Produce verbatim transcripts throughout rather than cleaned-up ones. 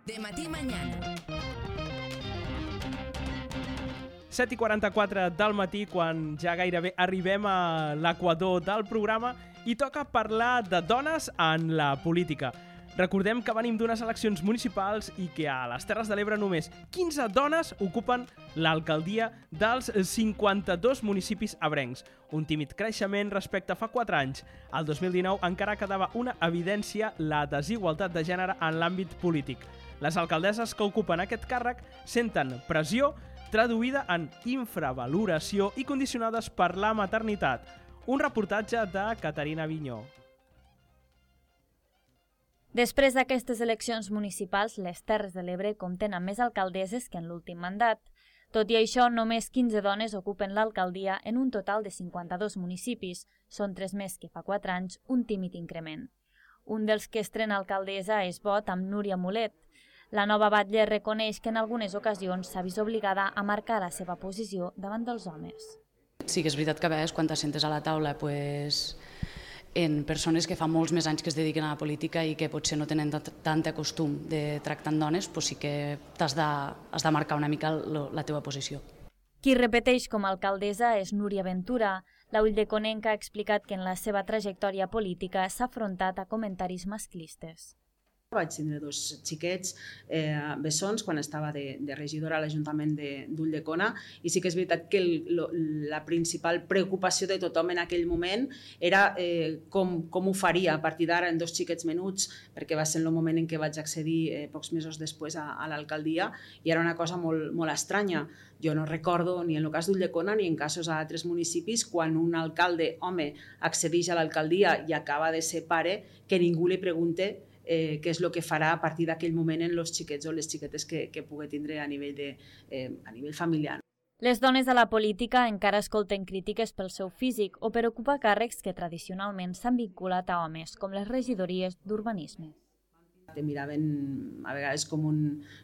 De Matí Mañana. set i quaranta-quatre del matí, quan ja gairebé arribem a l'equador del programa i toca parlar de dones en la política. Recordem que venim d'unes eleccions municipals i que a les Terres de l'Ebre només quinze dones ocupen l'alcaldia dels cinquanta-dos municipis ebrencs. Un tímid creixement respecte a fa quatre anys. Al dos mil dinou encara quedava una evidència la desigualtat de gènere en l'àmbit polític. Les alcaldesses que ocupen aquest càrrec senten pressió traduïda en infravaloració i condicionades per la maternitat. Un reportatge de Caterina Vinyó. Després d'aquestes eleccions municipals, les Terres de l'Ebre compten amb més alcaldesses que en l'últim mandat. Tot i això, només quinze dones ocupen l'alcaldia en un total de cinquanta-dos municipis. Són tres més que fa quatre anys, un tímid increment. Un dels que estrena alcaldessa és Bot amb Núria Mulet. La nova batlle reconeix que en algunes ocasions s'ha vist obligada a marcar la seva posició davant dels homes. Sí que és veritat que a vegades quan t'assentes a la taula pues, en persones que fa molts més anys que es dediquen a la política i que potser no tenen tant costum de tractar amb dones, pues sí que t'has de, has de marcar una mica la teva posició. Qui repeteix com a alcaldessa és Núria Ventura. La ulldeconnenca ha explicat que en la seva trajectòria política s'ha afrontat a comentaris masclistes. Vaig tindre dos xiquets eh, bessons quan estava de, de regidora a l'Ajuntament d'Ulldecona i sí que és veritat que el, lo, la principal preocupació de tothom en aquell moment era eh, com, com ho faria a partir d'ara en dos xiquets menuts, perquè va ser el moment en què vaig accedir eh, pocs mesos després a, a l'alcaldia i era una cosa molt, molt estranya. Jo no recordo ni en el cas d'Ulldecona ni en casos a altres municipis quan un alcalde home accedeix a l'alcaldia i acaba de ser pare que ningú li pregunte Eh, què és el que farà a partir d'aquell moment en els xiquets o les xiquetes que, que pugui tindre a nivell, de, eh, a nivell familiar. Les dones de la política encara escolten crítiques pel seu físic o per ocupar càrrecs que tradicionalment s'han vinculat a homes, com les regidories d'urbanisme. Te miraven a vegades com, un,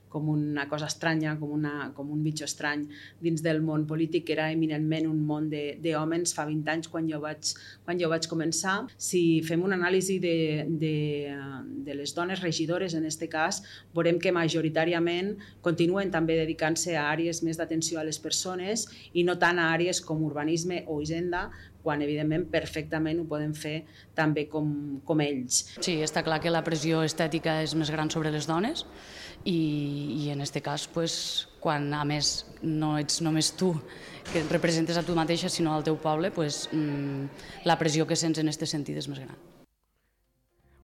com una cosa estranya, com, una, com un bitxo estrany dins del món polític, que era eminentment un món d'homes fa vint anys quan jo, vaig, quan jo vaig començar. Si fem una anàlisi de, de, de les dones regidores, en aquest cas, veurem que majoritàriament continuen també dedicant-se a àrees més d'atenció a les persones i no tant a àrees com urbanisme o hisenda, quan evidentment perfectament ho podem fer també com, com ells. Sí, està clar que la pressió estètica és més gran sobre les dones i, i en aquest cas, pues, quan a més no ets només tu que representes a tu mateixa sinó al teu poble, pues, mmm, la pressió que sents en aquest sentit és més gran.